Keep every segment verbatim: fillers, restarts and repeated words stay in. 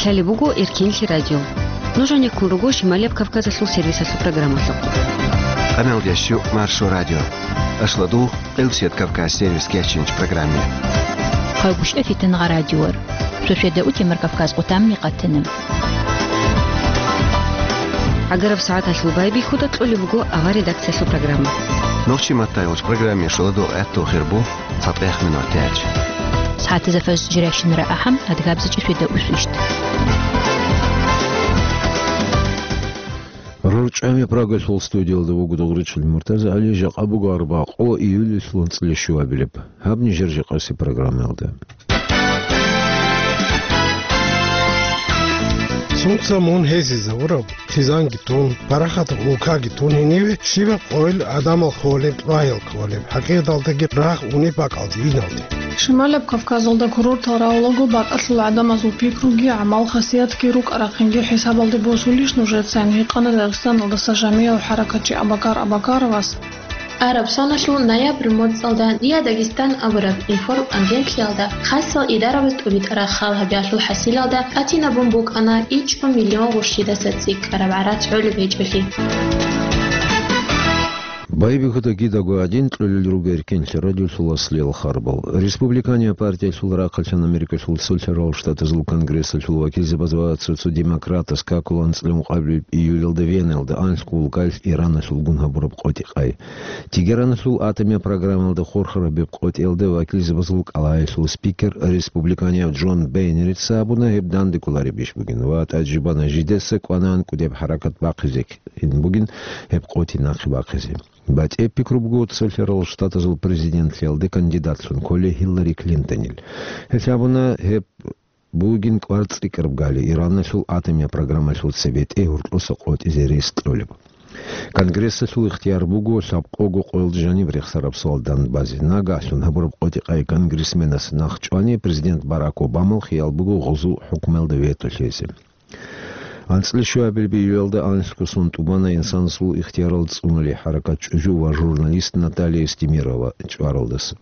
Цали буго Эркинлъи радио. Нуж гӀенеккун руго Шималияб Кавказалъул сервисалъул программалъухъ. Къаналда щу Маршо радио. Ашладу Къилсият Кавказ сервис кечинч программе. Хъагушев Фитингъа радиор. Шошеда утемар Кавказ къутамни къатана. ГӀагараб сагӀаталъул байбихьуда кьолеб буго авар редакциялъул программа. Нохчи маттайгъуч программе шоладу гӀатту хирбу. ЦатӀехъ минут тяч. СагӀатазда фажр жирашинара ахӀам, адгабзачӀи шведа усвищ. РорчӀами Прагалъул студиялда вуго Дугъричил Муртазагьали, жакъа буго арбакъо июльалъул анцӀила щуабилеб. Гьаб нижер жакъаси программаялда. Сунца мун гьезизавураб? Хизанги тун, парахатаб улкаги тун гьениве щибаб къойил гӀадамал хьолеб, лъугьаял кколеб, хӀакъикъаталдаги рагъ унеб бакӀалде иналде. Шималаб Кавказалда курортал равлаго бакӀалъул гӀадамазул пикруги гӀамал-хасиятги рукӀа-рахъинги хӀисабалде босулищ нужецайин? Гьикъана Дагъистаналдаса жамияв хӀаракатчи Абакар Абакаровас. Араб соналъул ноябрь моцӀалда Диа Дагестан абураб информагенталъиялда хасал идарабаз тӀубитӀараб хал гьабиялъул хӀасилалда тӀатинабун букӀана ичӀго миллион гъурщидаса цӀикӀкӀараб гӀарац гӀолеб гьечӀолъи. Байбихьуда кидаго гӀадин кьолел руго Эркинлъи радиолъул аслиял харбал. Республиканияб партиялъул рахъалъан Америкалъул Цолъарал Штатазул Конгрессалъул вакилзабаз ва цо-цо демократаз какулан анцӀила ункъабилеб июльалда Веналда анлъго улкаялъ Ираналъулгун гьабураб къотӀи-къай. Тегераналъул атомияб программалда хурхараб гьеб къотӀиялда вакилзабазул кӀалаялъул спикер, республиканияб Джон Бейнерица абуна, гьеб данде кколареб иш бугин ва тӀаде жибана жидеца кӀванагӀан кӀудияб хӀаракат бахъизе кколин бугин гьеб къотӀи нахъе бахъизе. БатӀияб пикру буго Цолъарал Штатазул президентлъиялде кандидатлъун кколей Хиллари Клинтонил. Гьелъ абуна, гьеб бугин кӀвар цӀикӀкӀараб гали Ираналъул атомияб программалъул цебетӀе гьоркьоса къотӀизе рес кьолеб. Конгрессалъул ихтияр буго лъабкъого къоялда жаниб рехсараб суал данде базе. Нагагьлъун гьабураб къотӀи-къай конгрессменас нахъ чӀвани, президент Барак Обамал хиял буго гъозул хӀукмуялда вето лъезе. АнцӀила щуабилеб июльалда анлъго сон тӀубана инсанасул ихтиярал цӀунулей хӀаракат чӀужу ва журналист Наталья Эстемирова чӀваралдаса.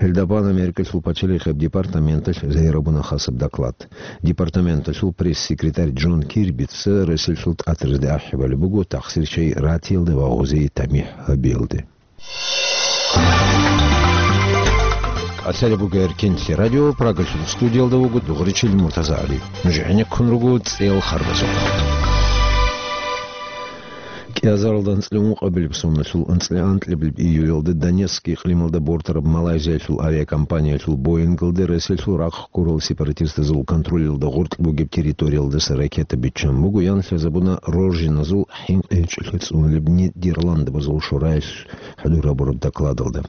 Гьелда бан Америкалъул пачалихъияб департаменталъ загьир гьабуна хасаб доклад. Департаменталъул пресс-секретарь Джон Кирбица Россиялъул тӀатаразде ахӀи балеб буго тахсир чагӀи ратиялде ва гъозие тамихӀ гьабиялде. Асари буго Эркинлъи радио, Прагалъул студиялда вуго Дугъричил Муртазагьали. Нуж гӀенеккун руго цӀел харбазухъ. КӀиазаралда анцӀила ункъабилеб соналъул анцӀила анкьабилеб июльалда Донецк икълималда бортараб Малайзиялъул авиакомпаниялъул Боингалде Россиялъул рахъ ккурал сепаратистазул контролялда гъоркь бугеб территориялдаса ракета биччан буго, ян лъазабуна Рожиназул хӀинкъи гьечӀолъи цӀунулеб Нидерландабазул шораялъ хӀадур гьабураб докладалда.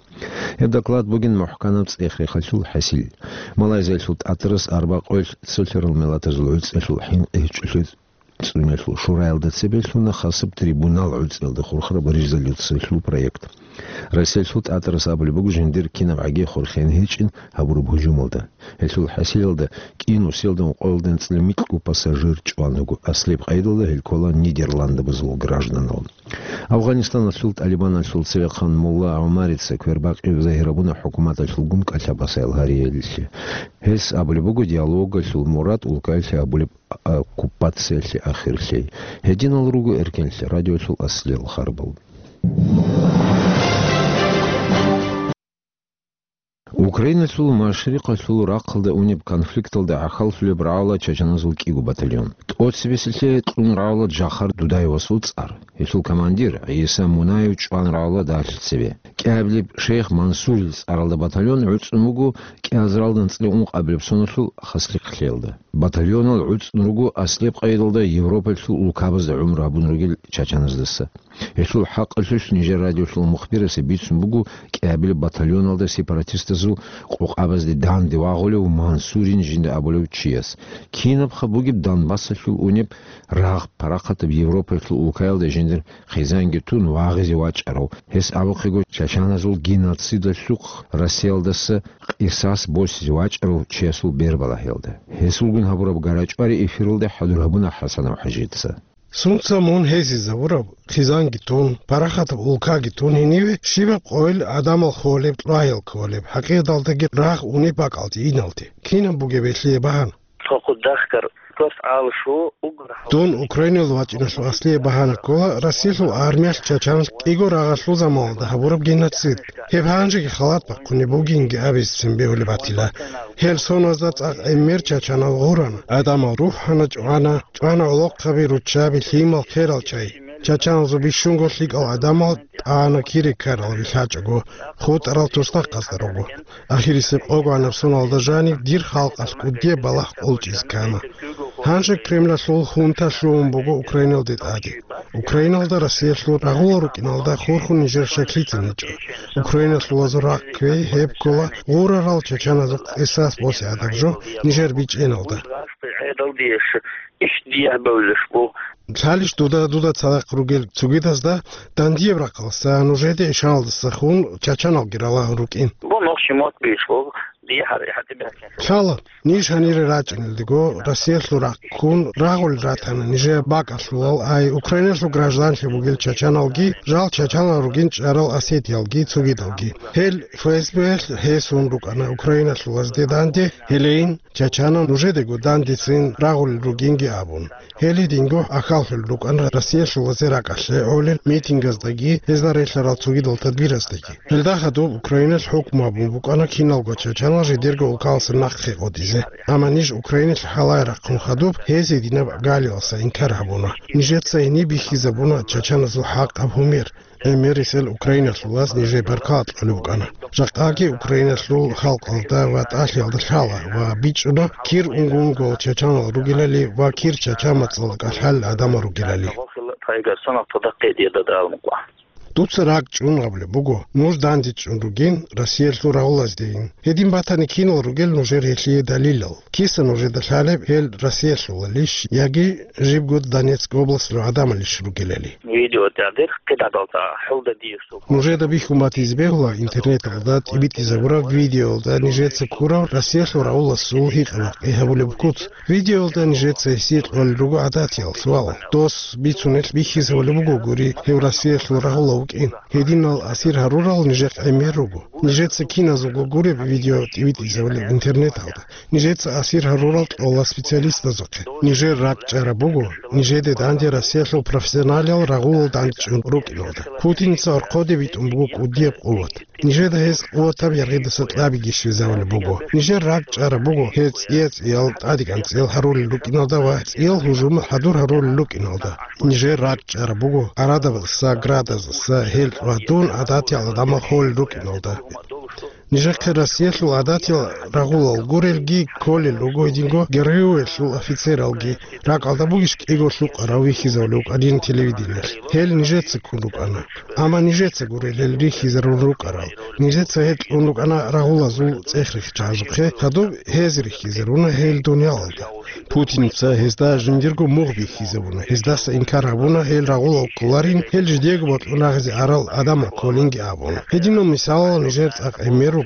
Гьеб доклад бугин мухӀканаб цӀех-рехалъул хӀасил. Малайзиялъул тӀатарас арбакъоялъ цолъарал миллатазул гӀуцӀиялъул хӀинкъи гьечӀолъи цӀунулелъул шураялда цебе лъуна хасаб трибунал гӀуцӀиялда хурхараб резолюциялъул проект. Россиялъул тӀатарас абулеб буго жиндир кинабгӀаги хурхен гьечӀин гьабураб гьужумалда. Гьелъул хӀасилалда кӀиго сорок къоялда анцӀила микьго пассажир чӀван вуго, аслияб къайдалда гьел ккола Нидерландабазул гражданал. Афганистаналъул ТӀалибаналъул цевехъан Мулла ГӀумарица квербакъи загьир гьабуна хӀукуматалъулгун кӀалъабасаял гьариялъе. Гьес абулеб буго диалогалъул мурад улкаялъе гьабулеб оккупациялъе ахирлъи. Гьединал руго Эркинлъи радиолъул аслиял харбал. Украиналъул машрикъалъул рахъалда унеб конфликталда гӀахьаллъулеб рагӀула чачаназул кӀиго батальон. ТӀоцебесеб кьун рагӀула Джахар Дудаевасул цӀар. Гьелъул командир ГӀиса Мунаев чӀван рагӀула дагьлъи цебе. КӀиабилеб шейх Мансурил цӀаралда батальон гӀуцӀун вуго кӀиазаралда анцӀила ункъабилеб соналъул хаслихълъиялда. Батальонал гӀуцӀун руго аслияб къайдалда Европалъул улкабазда гӀумру гьабун ругел чачаназдаса. Гьелъул хӀакъалъулъ нижер радиолъул мухбирасе бицун буго кӀиабилеб батальоналда сепаратистазул къокъабазде данде вагъулев Мансурин жинда абулев чияс. Кинабха бугеб Донбассалъул унеб рагъ парахатаб Европалъул улкаялда жиндир хъизанги тун вагъизе вачӀарав, гьес абухъего чачаназул геноцидалъухъ Россиялдаса къисас босизе вачӀарав чиясул бербалахӀелда. Гьесулгун гьабураб гарачӀвари эфиралда хӀадур гьабуна ХӀасанов ХӀажица. Сунца мун гьезизавураб, хъизанги тун, парахатаб улкаги тун гьениве щибаб къойил гӀадамал холеб, лъугьаял кколеб, хӀакъикъаталдаги рагъ унеб бакӀалде иналде? Кинаб бугеб гьелъие багьана? Цо хъудахъгар Дос гӀалашу угар гьав- Дун Украинал вачӀиналъул аслияб багьана ккола Россиялъул армиялъ чачаналъ кӀиго рагъалъул заманалда гьабураб геноцид. Гьеб гьанжеги халат бахъунеб бугинги абизцин бегьулеб батила. Гьел соназда цӀакъ гӀемер чачанал гъурана. Гьадамал рухӀана, чӀвана, чӀвана гӀолохъаби, руччаби, лъимал, херал чай. Чачаналзул бищунго лъикӀал гӀадамал тӀана кире ккарал вилълъачӀого, хутӀарал тусдахъазда руго. Ахирисеб къогоанаб соналда жанив дир халкъалъ кӀудияб балагь къулчӀизе ккана. Гьанже Кремлалъул хунта лъугьун буго Украиналде тӀаде. Украиналда Россиялъул рагъулал рукӀиналда хурхун нижер щеклъицин гьечӀо. Украиналъулазул рахъ кквей гьеб ккола гъурарал чачаназухъ эсас босе гӀадаб жо нижер бичӀчӀиналда. Лъалищ дуда, дуда цадахъ ругел цогидазда дандияб рахъалдаса, нужеде ишаналдаса хун чачаналги ралагьун рукӀин. Бо нохчи мот беш, бо дие гьар-, гьатӀи бехкин. Лъала, ниж гьанире рачӀинелдего, Россиялъул рахъ ккун рагъулел ратана нижее бакӀалъулал, ай, Украиналъул гражданлъи бугел чачаналги, жал чачанал ругин чӀарал осетиялги, цогидалги. Гьел ФСБ-лъ гьесун рукӀана украиналъулазде данде, гьелейин, чачанал нужедего дандецин рагъулел ругинги абун. Гьел гьединго ахьаллъулел рукӀана Россиялъулазе ракӀалъе гӀолел митингаздаги, гьезда релълъарал цогидал тадбирасдаги. Гьелда хадуб Украиналъ хӀукму гьабун букӀана киналго чачанал жидерго улкаласа нахъе къотӀизе. Амма ниж Украиналъ гьалай рахъун хадуб, гьез гьединаб галиласа инкар гьабуна. Нижеца гьениб бихьизабуна чачаназул хӀакъаб гьумер. ГӀемерисел Украиналъулаз нижее баркала кьолеб букӀана. Жакъаги Украиналъул халкъалда ва тӀалъиялда лъала ва бичӀчӀуна кир унгунгол чачанал ругелали ва кир чача мацӀалда кӀалъалел гӀадамал ругелали. Дуца ракӀ чӀун абулеб буго, нуж дандечӀун ругин Россиялъул рагъулаздейин. Гьедин батани кинал ругел нужер гьелъие далилал? Киса нужеда лъалеб гьел Россиялъулалищ яги жибго Донецк областалъул гӀадамалищ ругелали? Видео тӀадер кидадалда хӀулда диеш. Нужеда бихьун батизе бегьула интернеталда тӀибитӀизабураб видеоялда нижеца ккурав Россиялъул рагъуласул гьикъа-бакъи гьабулеб куц. Видеоялда нижеца гьесие кьолел руго гӀадатиял суал. Дос бицунелъ бихьизабулеб буго гури гьев Россиялъул рагъула вукӀин. Гьединал асир гьарурал нижехъ гӀемер руго. Нижеца киназулго гуреб видео тӀибитӀизабулеб интернеталда. Нижеца асир гьарурал кьола специалистазухъе. Нижер ракӀ чӀараб буго, нижеде данде Россиялъул профессионалал рагъулал дандчӀун рукӀиналда. Путиница орхъоде битӀун буго кӀудияб къуват. Нижеда гьез къуватаб яргъидаса кьабиги щвезавулеб буго. Нижер ракӀ чӀараб буго гьез цӀия-цӀиял тӀадегӀан цӀиял гьарулел рукӀиналда ва цӀиял гьужумал хӀадур гьарулел рукӀиналда. Нижер ракӀ чӀараб буго арадабазаса, градаздаса, гьел ва дун гӀадатиял гӀадамал холел рукӀиналда. Нижехъе Россиялъул гӀадатиял рагъулал гурелги кколел руго гьединго Героялъул офицералги, ракӀалда бугищ кӀиго лъукъарав вихьизавулев вукӀанин телевидениялъ. Гьел нижеца ккун рукӀана. Амма нижеца гурел гьел рихьизарун рукӀарал. Нижеца гьел кьун рукӀана рагъулазул цӀех рихьчагӀазухъе, гьадуб гьез рихьизаруна гьел дуниялалда. Путиница гьезда жиндирго мугъ бихьизабуна, гьездаса инкар гьабуна гьел рагъулал кколарин, гьел жидеего бокьун рагъизе арал гӀадамал кколинги абуна. Гьединал мисалал нижер цӀакъ гӀемер руго.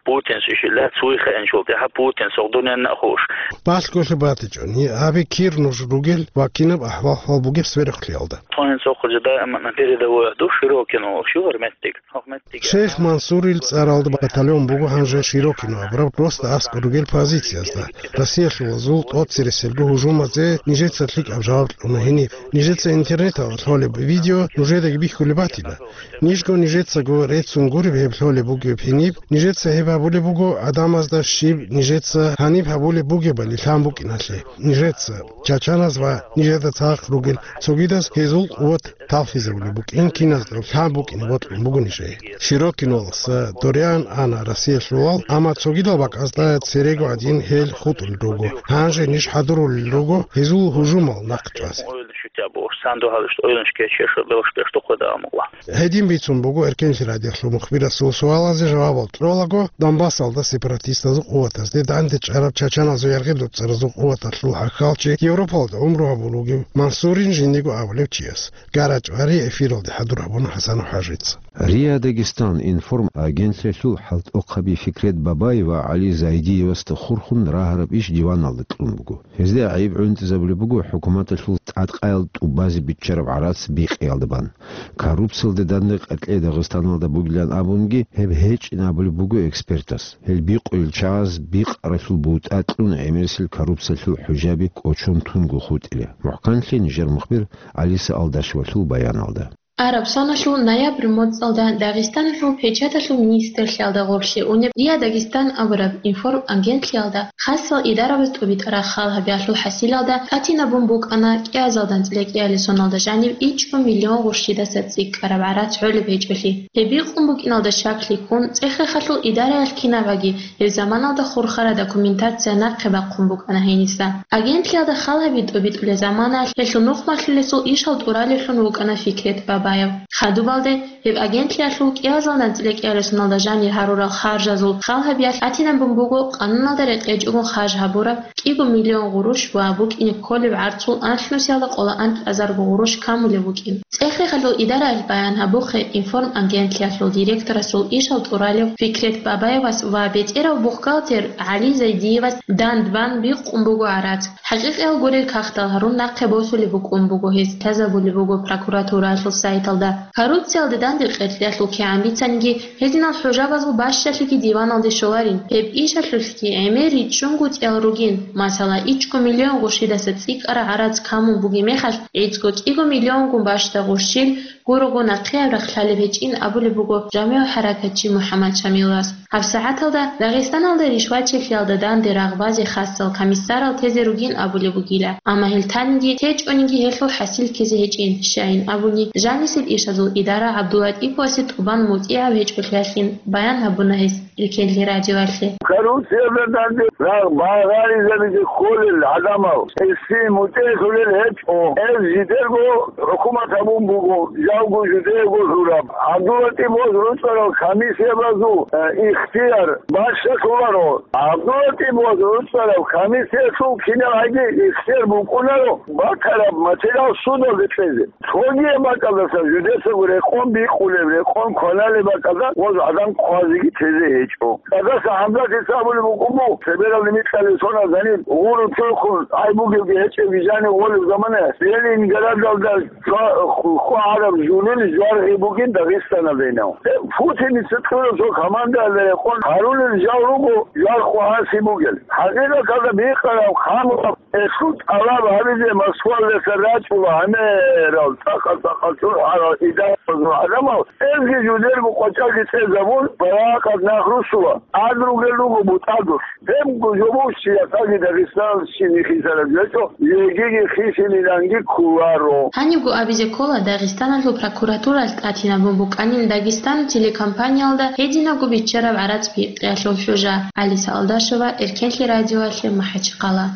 Путин шишила цуйха энчултӀа, гьа, Путин согъдуненна хуш. Балъголъи батичӀони, гьабе кир нуж ругел ва кинаб ахӀвал-хӀал бугеб сверухълъиялда. Тонин сохъузе даиман передовой душ Широкино, шугар меттик, хох меттик. Шейх Мансурил цӀаралда батальон буго гьанже Широкино абураб, просто аскӀор ругел позициязда. Россиялъулазул тӀоцереселго гьужумазе нижеца лъикӀаб жаваб кьуна гьениб. Нижеца интернеталда лъолеб видео нужедаги бихьулеб батила. Нижго нижецаго реццун гуреб гьеб лъолеб бугеб гьениб, нижеца гьеб гьабулеб буго гӀадамазда щиб нижеца гьаниб гьабулеб бугебали лъан букӀиналъе. Нижеца, чачаназ ва нижеда цадахъ ругел цогидаз гьезул къуват талхизабулеб букӀин киназда лъан букӀине бокьун буго нижее. Широкиноласа доригӀан ана Россиялъулал, амма цогидал бакӀазда церего гӀадин гьел хутӀулел руго. Гьанже ниж хӀадурулел руго гьезул гьужумал нахъчӀвазе. Шутя буш, санду гьалуш, ойланш кечеш, левш пеш тухъе даун мукъва. Гьедин бицун буго Эркенлъи радиохлъун мухбирасул суалазе жавабал кьолаго, Донбассалда сепаратистазул къуватазде данде чӀараб чачаназул яргъи дуцӀаразул къуваталъул хӀахьалчи Европалда гӀумру гьабулуги Мансурин жиндиго абулев чияс. ГарачӀвари эфиралде хӀадур гьабуна ХӀасан ХӀажица. РИА Дагестан информ агентлъиялъул хӀалтӀухъаби Фикрет Бабаев ва ГӀали Зайдиевасда хурхун рагьараб иш диваналда кьун буго. Гьезда гӀайиб гӀунтӀизабулеб буго хӀукуматалъул тӀадкъаял тӀубаз биччараб гӀарац бикъиялда бан. Коррупциялде данде къеркьей Дагъистаналда бугилан абунги, гьеб гьечӀин абулеб буго экспертас. Гьел бикъулел чагӀаз бикъаралъул бутӀа кьун гӀемерисел коррупциялъул хӀужаби кӀочон тунго хутӀила. МухӀканлъи нижер мухбир Алиса Алдашевалъул баяналда. Араб соналъул ноябрь моцӀалда Дагъистаналъул печаталъул министрлъиялда гъорлъе унеб «РИА Дагестан» абураб информагентлъиялда хасал идарабаз тӀубитӀараб хал гьабиялъул хӀасилалда тӀатинабун букӀана кӀиазалда анцӀила кӀиабилеб соналда жанив ичӀго миллион гъурщидаса цӀикӀкӀараб гӀарац гӀолеб гьечӀолъи. Гьеб бикъун букӀиналда щаклъи ккун, цӀехехалъул идараялъ кинабаги гьеб заманалда хурхараб документация нахъе бахъун букӀана гьениса. Агентлъиялда хал гьаби тӀубитӀулеб заманаялъ гьелъул нухмалъулесул ишал тӀуралевлъун вукӀана Фикрет Бабаев. Хадубалде гьеб агентлъиялъул кӀиазалда анцӀила кӀиабилеб соналда жанир гьарурал харжазул хал гьабиялъ тӀатинабун буго къануналда рекъечӀого харж гьабураб кӀиго миллион гъурущ ва букӀине кколеб гӀарцул анлънусиялда къоло анкьазарго гъурущ камулеб букӀин. ЦӀехехалъул идараялъ баян гьабухъе информагентлъиялъул директорасул ишал тӀуралев Фикрет Бабаевас ва бетӀерав бухгалтер ГӀали Зайдиевас дандбан бикъун буго гӀарац. ХӀакъикъиял гурел кагътал гьарун нахъе босулеб букӀун буго гьез, лъазабулеб буго прокуратураялъул сайталда. Коррупциялде данде къеркьеялъул кигӀан бицаниги, гьединал хӀужабазул бащдалъиги диваналде щоларин. Гьеб ишалъулъги гӀемер риччунгутӀиялъ ругин, масала, ичӀго миллион гъурщидаса цӀикӀкӀараб гӀарац камун бугеб мехалъ, гӀицӀго кӀиго миллионгун бащдаб гъурщил гурого нахъеяб рахъ лъалеб гьечӀин абулеб буго жамигӀ хӀаракатчи МухӀаммад Шамилас. ГьабсагӀаталда Дагъистаналда ришвачилъиялда данде рагъбазе хасал комиссарал тезе ругин абулеб бугила, амма гьел таниги течӀониги гьелъул хӀасил ккезе гьечӀин, щайин абуни, жанисеб ишазул идара ГӀабдулатӀиповасе тӀубан мутӀигӀав гьечӀолъиялъин баян гьабуна гьес Эркенлъи радиоялъе. Коррупциялда данде рагъ багъаризабизе кколел гӀадамал гьесие мутӀигӀлъулел гьечӀо, гьез жидерго хӀукумат гьабун буго, жалго жидеего лъураб. ГӀабдулатӀиповаз рукӀарал комиссиябазул, э, ихтияр бащдалъуларо. ГӀабдулатӀиповаз рукӀарал комиссиялъул кинабгӀаги ихтияр букӀунаро батараб материал судалде кьезе. Цогияб бакӀалдаса жидецаго рекъон бикъулеб, рекъон кваналеб бакӀалда гъоз гӀадан хъвазеги тезе гьечӀо. Къадаса ХӀамзатица абулеб букӀун буго, цебералде микьалел соналда жаниб гъуру чурхун гӀай бугебги гьечӀебги жанив гъолеб замана Ленинградалда хъвагӀараб жугьлули жваргӀи бугин Дагъистаналдайинав. Гьеб Путиница кьураб цо командаялда рекъон гьарулел жал руго жвар хъвагӀаси бугел. ХӀакъикъаталда бикъараб, хъамураб, гьелъул тӀалаб гьабизе Москвалдаса рачӀула гӀемерал, цӀакъ-цӀакъ чурхӀарал идарабазул гӀадамал, гьезги жидерго къвачӀалги цӀезабун, баракат нах русула, тӀад ругел руго бутӀадулъ. Гьебго жо буго, чиясаги Дагъистаналъ щиб хисараб гьечӀо, жегиги хисилиланги кколаро. Гьанибго абизе ккола, Дагъистаналъул прокуратуралъ тӀатинабун букӀанин Дагестан телекомпаниялда гьединабго биччараб гӀарац бикъиялъул хӀужа. Алиса Алдашева, Эркенлъи радиоялъе, МахӀачхъала.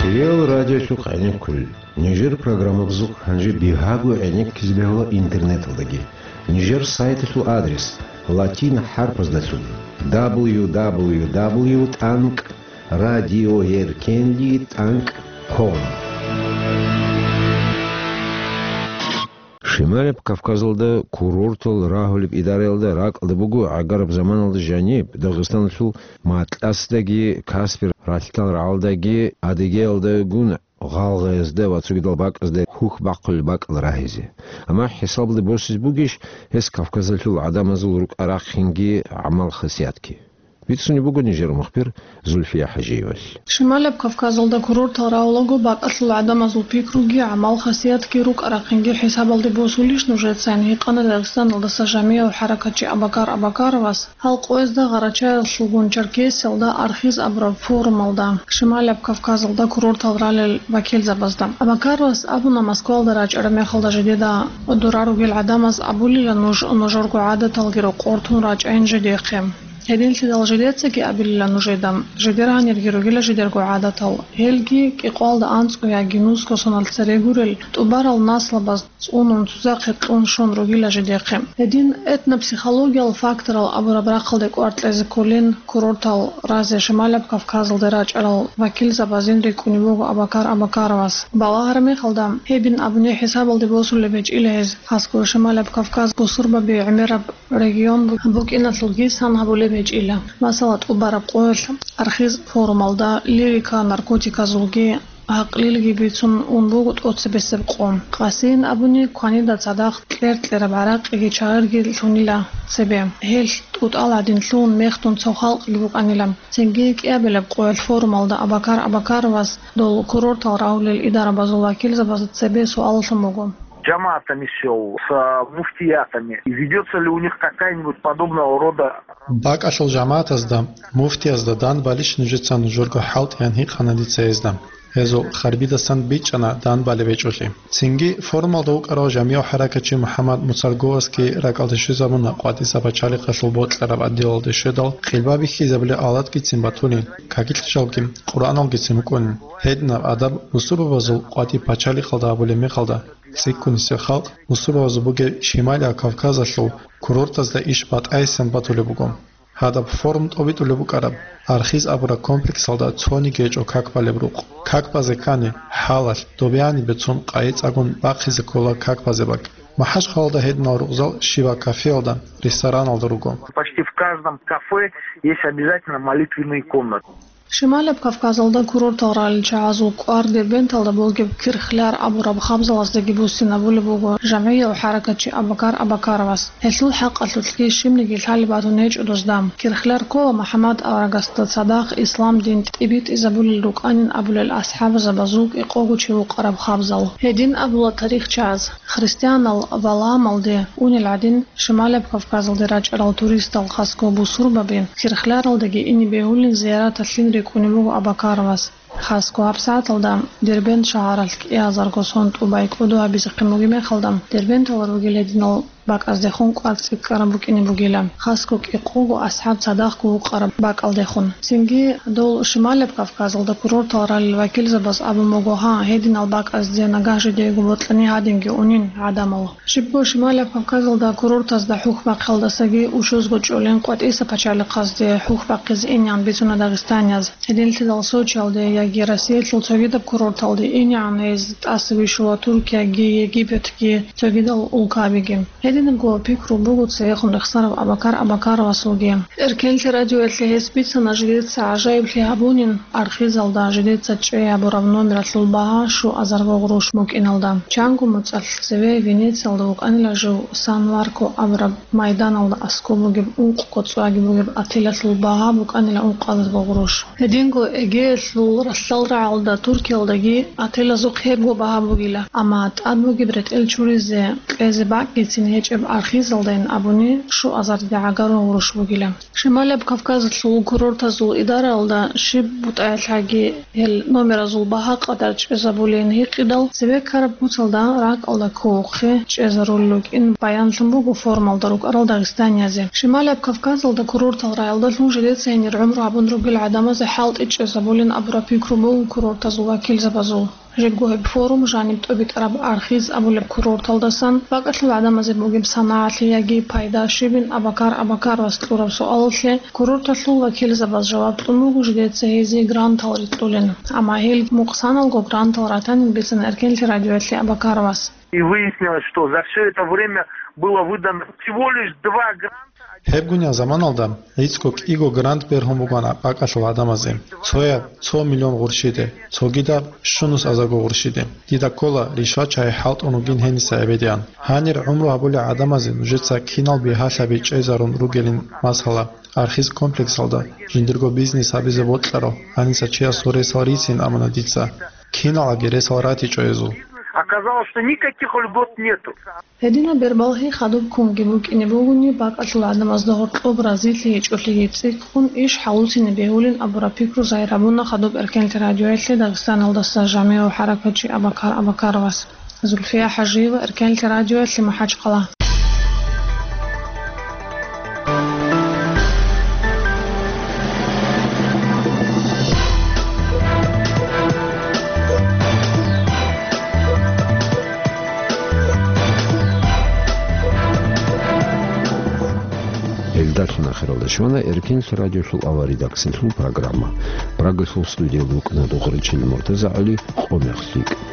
Кьел радиолъухъ гӀенеккулел. Нижер программабазухъ гьанже бигьаго гӀенеккизе бегьула интернеталдаги. Нижер сайталъул адрес латин хӀарпаздалъун: дабл ю дабл ю дабл ю тӀанкӀ радиоэркенлъи тӀанкӀ ком. Шималаб Кавказалда курортал рагьулеб идараялда ракӀалда буго гӀагараб заманалда жаниб Дагъистаналъул Матласдаги, Каспи ралъдал рагӀалдаги, Адыгеялдагун гъалгъаязда ва цогидал бакӀазда хьухь бахъулел бакӀал рагьизе. Амма хӀисабалде босизе бугищ гьес Кавказалъул гӀадамазул рукӀа-рахъинги гӀамал-хасиятги? Бицунеб буго нижер мухбир Зульфия ХӀажиевалъ. Шималаб Кавказалда курортал рагьулаго бакӀалъул гӀадамазул пикруги, гӀамал-хасиятги, рукӀа-рахъинги хӀисабалде босулищ нужецайин, гьикъана Дагъистаналдаса жамигӀав хӀаракатчи Абакар Абакаровас гьал къоязда Гъарачаялъулгун Черкесиялда архиз абураб форумалда Шималаб Кавказалда курортал ралел вакилзабазда. Абакаровас абуна Москвалда рачӀараб мехалда жидеда дора ругел гӀадамаз абулила нуж, нужерго гӀадаталги рокъор тун рачӀайин жидехъе. Гьединлъидал жидецаги абилила нужеда, жидер гьанирги ругила жидерго гӀадатал. Гьелги кӀикъоялда анцӀго яги нусго соналъ цере гурел тӀубарал наслабаз цӀунун цузахъе кьун щун ругила жидехъе. Гьедин этнопсихологиял факторал абураб рахъалде кӀвар кьезе кколин курортал разе Шималаб Кавказалде рачӀарал вакилзабазин рикӀкӀунеб буго Абакар Абакаровас. Балагьараб мехалда, гьебин абуни хӀисабалде босулеб гьечӀила гьез, хасго Шималаб Кавказ бусурбаби гӀемераб регион бу-, букӀиналъулги сан гьабулеб гьечӀила. Масала, тӀубараб къоялъ архиз форумалда лирика наркотиказулги гӀакълилги бицун ун буго тӀоцебесеб къо. Къасиин абуни, кванида цадахъ кьер-кьераб гӀаракъиги чагӀирги лъунила цебе. Гьелъ тӀутӀал гӀадин лъугьун мехдун цо халкъги букӀанила. Цинги кӀиабилеб къоялъ форумалда Абакар Абакаровас дол курортал рагьулел идарабазул вакилзабазда цебе суаллъун буго. Жамаатами сел, с, а, муфтиятами. И ведётся ли у них какая-нибудь подобного рода? БакӀалъул жамаатазда, муфтиязда данбалищ нужеца нужерго хӀалтӀиян гьикъана дица гьезда. Гьезул харбидасан бичӀчӀана данбалеб гьечӀолъи. Цинги форумалда вукӀарав жамигӀ хӀаракатчи МухӀаммад Муцарговасги ракӀалде щвезабуна къватӀиса пачалихъалъул бокьараб отделалде щведал, къилба бихьизабулеб алатгицин батулин, какилъ жалги Къуръаналгицин вукӀунин. Гьединаб адаб бусурбабазул къватӀи пачалихъалда гьабулеб мехалда, цӀикӀкӀунисеб халкъ бусурбабазул бугеб Шималияб Кавказалъул курортазда иш батӀайсан батулеб буго. Гьадаб форум тӀобитӀулеб букӀараб архиз абураб комплексалда цониги гьечӀо как балеб рукъ. Как базе ккани, хӀалалъ, добеяне бецун къайи цӀагун бахъизе ккола как базе бакӀ. МахӀачхъалалда гьединал рукъзал щибаб кафеялда, рестораналда руго. Почти в каждом кафе есть обязательно молитвенные комнаты. Шималаб Кавказалда курортал ралел чагӀазул кӀвар Дербенталда бугеб Кирхляр абураб хабзалаздаги буссинабулеб буго жамгӀияв хӀаракатчи Абакар Абакаровас. Гьелъул хӀакъалъулъги щибниги лъалеб батун гьечӀо дозда. Кирхляр ккола МухӀаммад аварагасда цадахъ ислам дин тӀибитӀизабулел рукӀанин абулел асхӀабзабазул кӀикъого чи вукъараб хабзал. Гьедин абула тарихчияз: христианал Валаамалде унел гӀадин, Шималаб Кавказалде рачӀарал туристал хасго бусурбаби Кирхляралдаги ине бегьулин зияраталъин рикӀкӀунеб буго Абакаровас. Хасго гьабсагӀаталда Дербент шагьаралъ кӀиазарго сон тӀубай кӀодо гьабизехъин бугеб мехалда, Дербенталда ругел гьединал бакӀаздехун кӀвар цӀикӀкӀараб букӀине бугила. Хасго кӀикъого асхӀаб цадахъго вукъараб бакӀалдехун. Цинги дол Шималаб Кавказалда курортал ралел вакилзабаз абун буго: гьа, гьединал бакӀазде нагагь жидеего бокьани гьадинги унин гӀадамал. Щибго Шималаб Кавказалда курортазда хӀухь бахъиялдасаги учузго чӀолин къватӀиса пачалихъазде хӀухь бахъизе инеян бицуна дагъистанияз. Гьединлъидал Сочиялде яги Россиялъул цогидаб курорталде инеян гьез тӀаса вищула Туркияги, Египетги, цогидал улкабиги. Гьединабго пикру буго цевехун рехсарав Абакар Абакаровасулги. Эркенлъи радиоялъе гьес бицана жидеца гӀажаиблъи гьабунин архизалда жидеца чӀей гьабураб номералъул багьа щуазарго гъруш букӀиналда. Чанго моцӀалъ цеве Венециялда вукӀанила жив Сан-Марко абураб майданалда аскӀоб бугеб ункъго цӀваги бугеб отелалъул багьа букӀанила ункъазарго гъруш. Гьединго Эгеялъул ралъдалрагӀалда Туркиялдаги отелазухъ гьебго багьа бугила, амма тӀад бугеб ретӀел чуризе кьезе бакӀгицин гьечӀеб архизалдайин абуни щуазарде гӀагарун гъруш бугила. Шималаб Кавказалъул курортазул идараялда щиб бутӀаялъаги гьел номеразул багьа къадар чӀезабулин гьикъидал, цебе ккараб куцалда ракӀалда кколухъе чӀезарулел рукӀин баянлъун буго форумалда рукӀарал дагъистаниязе. Шималаб Кавказалда курортал райалдалъун жидеца гьенир гӀумру гьабун ругел гӀадамазе хӀалтӀи чӀезабулин абураб пикру буго курортазул вакилзабазул. Жибго гьеб форум жаниб тӀобитӀараб архиз абулеб курорталдасан бакӀалъул гӀадамазе бугеб санагӀалъе яги пайда щибин Абакар Абакаровас кьураб суалалъе курорталъул вакилзабаз жаваб кьун буго жидеца гьезие грантал рикьулин. Амма гьел мукъсаналго грантал ратанин бицана Эркенлъи радиоялъе Абакаровас. И выяснилось, что за всё это время было выдано всего лишь два гранта. Гьебгунеб заманалда гӀицӀго кӀиго грант бергьун бугана бакӀалъул гӀадамазе, цояб цо миллион гъурщиде, цогидаб щунус азарго гъурщиде. Дида ккола, ришвачагӀи хӀалтӀун вугин гьениса гӀебедиан. Гьанир гӀумру гьабулел гӀадамазе нужеца кинал бигьалъаби чӀезарун ругелин, масала, архиз комплексалда жиндирго бизнес гьабизе бокьарал, гьаниса чиясул ресал рицин амуна дица. Киналги ресал ратичӀо гьезул. Оказалось, что никаких льгот нету. Гьединаб бербалъи хадуб кунги букӀине бугони, бакӀалъул гӀадамазда гьоркьоб разилъи гьечӀолъиги цӀикӀкӀун иш хӀалуцине бегьулин абураб пикру загьир гьабуна хадуб Эркенлъи радиоялъе Дагъистаналдаса жамигӀав хӀаракатчи Абакар Абакаровас. Зульфия ХӀажиева, Эркенлъи радиоялъе, МахӀачхъала. Гьелдалъун ахиралда щвана Эркенлъи радиолъул аваридаксилъул программа. Прагалъул студиялда вукӀана Дугъричил МуртазагӀали, къо-мех лъикӀ.